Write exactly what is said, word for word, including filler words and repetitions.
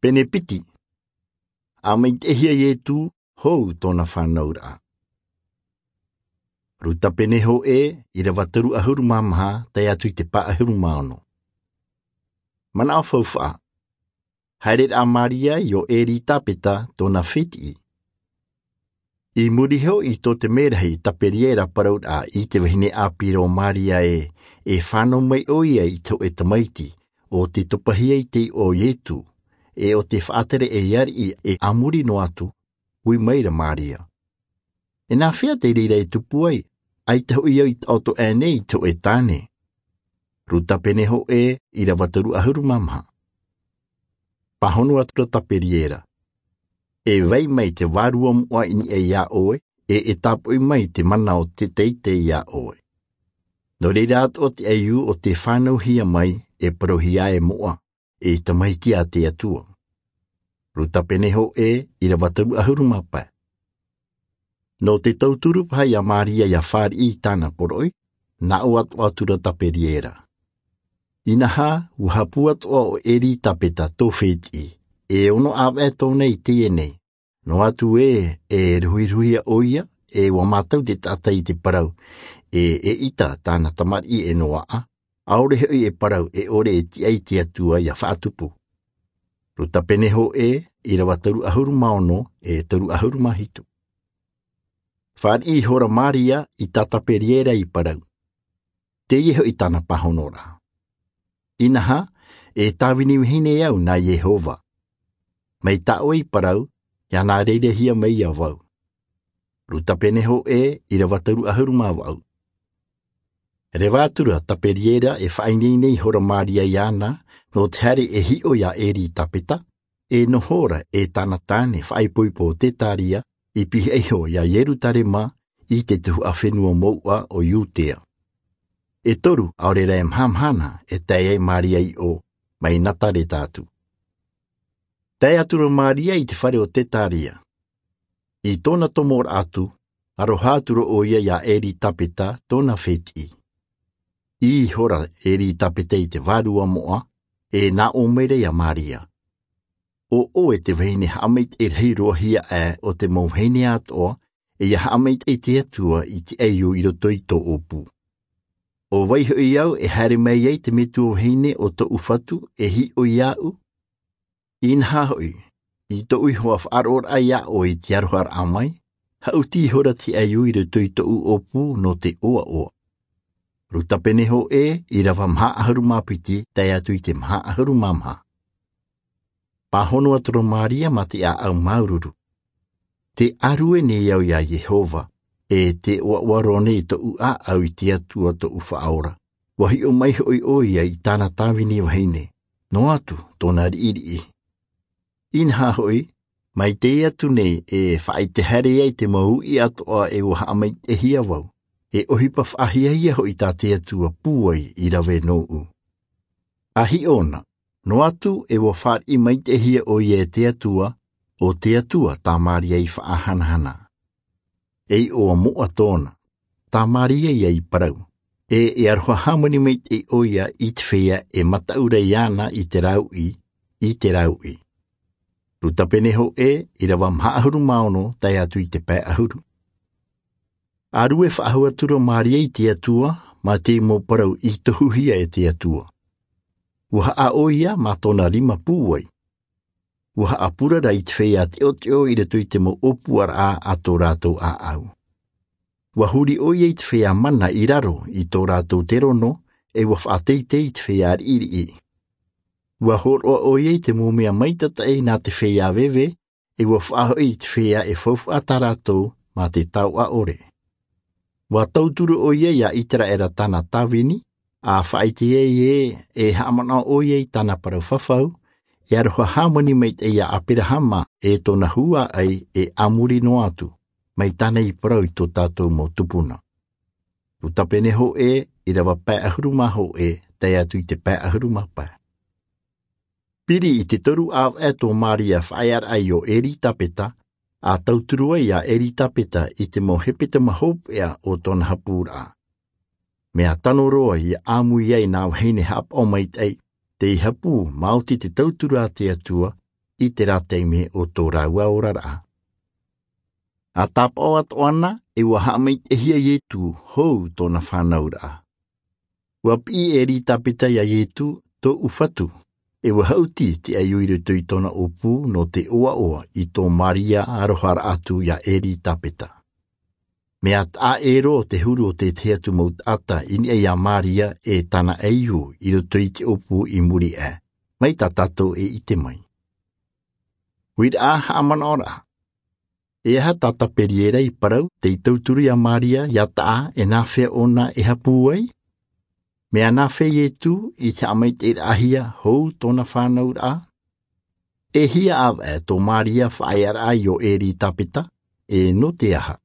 Pene piti. Haʻamaitaʻihia Ietu hou tōna fānauraʻa. Ruta pene hōʻē, ʻīrava toru ʻahuru mā maha, tae atu i te pae ʻahuru mā ono. Manaʻo faufaʻa. Haereraʻa a Maria iō Eritapeta tōna fētiʻi. I muri iho i tō te merahi Taperiera parauraʻa i te vahine ʻāpī ra o Maria ē, e fānau mai ʻoia i te hōʻē tamaiti, ʻo tei topahia i te iʻoa o Ietu, e ʻo tei faʻatere ei ariʻi e a muri noa atu, ui maira Maria. E nā hea te reira e tupu ai, ʻaita hoʻi au i taʻoto aʻe nei i te hōʻē tāne? Ruta pene hōʻē, ʻīrava toru ʻahuru mā maha. Pāhono atu ra Taperiera. E vai mai te vārua moʻa i niʻa iā ʻoe, e, e tāpoʻi mai te mana o te teitei iā ʻoe. Nō reira atoʻa te ʻaiū ʻo tei fānauhia mai, e parauhia e moʻa, e tamaiti a te Atua. Ruta pene hōʻē, ʻīrava toru ʻahuru mā pae. Nō te tauturu paha ia Maria ʻia fāriʻi i tāna poroʻi, nā ʻō atoʻa atu ra Taperiera. Inaha, ʻua hapū atoʻa ʻo Eritapeta tō fētiʻi, e ono ʻāvaʻe tōna i teie nei, noa atu ē, e ruhiruhia ʻoia, e ʻua mātau te taʻata i te parau, e, eʻita tāna tamariʻi e noaʻa, ʻaore hoʻi e parau e ʻore e tiʻa i te Atua ʻia faʻatupu. Ruta pene hōʻē, ʻīrava toru ʻahuru mā ono, e toru ʻahuru mā hitu. Fāriʻi ihora Maria i tā Taperiera i parau. Teie hoʻi tāna pāhonoraʻa. Inaha, e tāvini vahine au nā Iehova. Mai tā ʻoe i parau, ʻia nā reirehia mai ia vau. Ruta pene hōʻē, ʻīrava toru ʻahuru mā vaʻu. Reva atu ra Taperiera e faʻaineine ihora Maria iāna, nō te haere e hiʻo iā Eritapeta, e noho ra e tāna tāne faʻaipoipo o Tetaria, i pihaʻi iho iā Ierutarema, i te tuhaʻa fenua mouʻa o Iutea. E toru, ʻaore rā e mahamahana, e tae ai Maria i ʻō, mai Nazareta atu. Tae atu ra Maria i te fare o Tetaria. I tōna tomoraʻa atu, aroha atu ra ʻoia iā Eritapeta tōna fētiʻi. ʻĪ ihora Eritapeta i te vārua moʻa, e nā ʻō maira iā Maria. ʻO ʻoe te vahine haʻamaitaʻi rahi roa hia aʻe o te mau vahine atoʻa, e ʻia haʻamaitaʻi te Atua i te ʻaiū i roto i tō ʻōpū. ʻO vai hoʻi au e haere mai ai te metua vahine o tōʻu Fatu e hiʻo iāʻu? Inaha hoʻi, i tōʻu iho ā faʻaroʻoraʻa iā ʻoe i te aroharaʻa mai, haʻuti ihora te ʻaiū i roto i tōʻu ʻōpū nō te ʻoaʻoa. Ruta pene hōʻē, ʻīrava maha ʻahuru mā piti, tae atu i te maha ʻahuru mā maha. Pāhono atu ra Maria mā te ʻāʻau māuruuru. Tē ʻārue nei au iā Iehova, e tē ʻoaʻoa roa nei tōʻu ʻāʻau i te Atua tōʻu Faʻaora. ʻUa hiʻo mai hoʻi ʻoia i tāna tāvini vahine, noa atu tōna riʻiriʻi. Inaha hoʻi, mai teie atu nei e faʻaʻite haere ai te mau uʻi atoʻa e ʻua haʻamaitaʻihia vau, e ʻohipa faʻahiahia hoʻi tā te Atua pūai i rave nōʻu. ʻA hiʻo na, noa atu e ʻua fāriʻi maitaʻihia ʻoia e te Atua, ʻo te Atua tā Maria i faʻahanahana. E iʻoa moʻa tōna, tā Maria ia i parau, e, e aroha hāmani maitaʻi ʻoia i te feiā e mataʻu ra iāna i te rāuʻi, i te rāuʻi. Ruta pene hōʻē, ʻīrava maha ʻahuru mā ono, tae atu i te pae ʻahuru. ʻA rue faʻahou atu ra Maria i te Atua, mā te mau parau i tohuhia e te Atua. ʻUa haʻa ʻoia mā tōna rima pūai. ʻUa haʻapurara i te feiā teʻoteʻo i roto i te mau ʻōpuaraʻa a tō rātou ʻāʻau. ʻUa huri ʻoia i te feiā mana i raro i tō rātou terono, e ʻua faʻateitei i te feiā riʻiriʻi. ʻUa hōroʻa ʻoia i te mau mea maitataʻi nā te feiā veve, e ʻua faʻahoʻi i te feiā e faufaʻa tā rātou mā te taoʻa ʻore. ʻUa tauturu ʻoia iā Iteraera tāna tāvini, ʻa faʻaʻite ai ē, e haʻamanaʻo ʻoia i tāna parau fafau, e aroha hāmani maitaʻi iā Aperahama e tōna huaʻai e a muri noa atu, mai tāna i parau i tō tātou mau tupuna. Ruta pene hōʻē, ʻīrava pae ʻahuru mā hōʻē, tae atu i te pae ʻahuru mā pae. Piri i te toru ʻāvaʻe tō Maria faʻaearaʻa iō Eritapeta, ʻa tauturu ai iā Eritapeta i te mau hepetoma hopeʻa o tōna hapūraʻa. Mea tano roa ʻia ʻāmui ai nā vahine haʻapaʻo maitaʻi, tei hapū maoti te tauturu a te Atua, i te rā taime o tō rāua oraraʻa. A tāpaʻo atoʻa na, e ua haʻamaitaʻihia iesu hou tōna fānauraʻa. Ua piʻi elisabeta iā iesu, tōʻu fatu, e ua haʻuti te ʻaiū i roto i tōna ʻōpū nō te ʻoaʻoa i tō maria aroharaʻa atu iā elisabeta. Mea taʻa ʻē roa te huru o te tahi atu mau taʻata i niʻa iā maria e tāna ʻaiū i roto i te ʻōpū i muri aʻe. Mai tā tātou e ʻite mai. Uiraʻa haʻamanaʻoraʻa. E aha tā taperiera i parau tei tauturu iā maria iā taʻa e nāfea ʻōna e hapū ai? Mea nāfea iesu i te haʻamaitaʻiraʻahia hou tōna fānauraʻa? E hia ʻāvaʻe tō maria faʻaearaʻa i ō elisabeta, e nō te aha?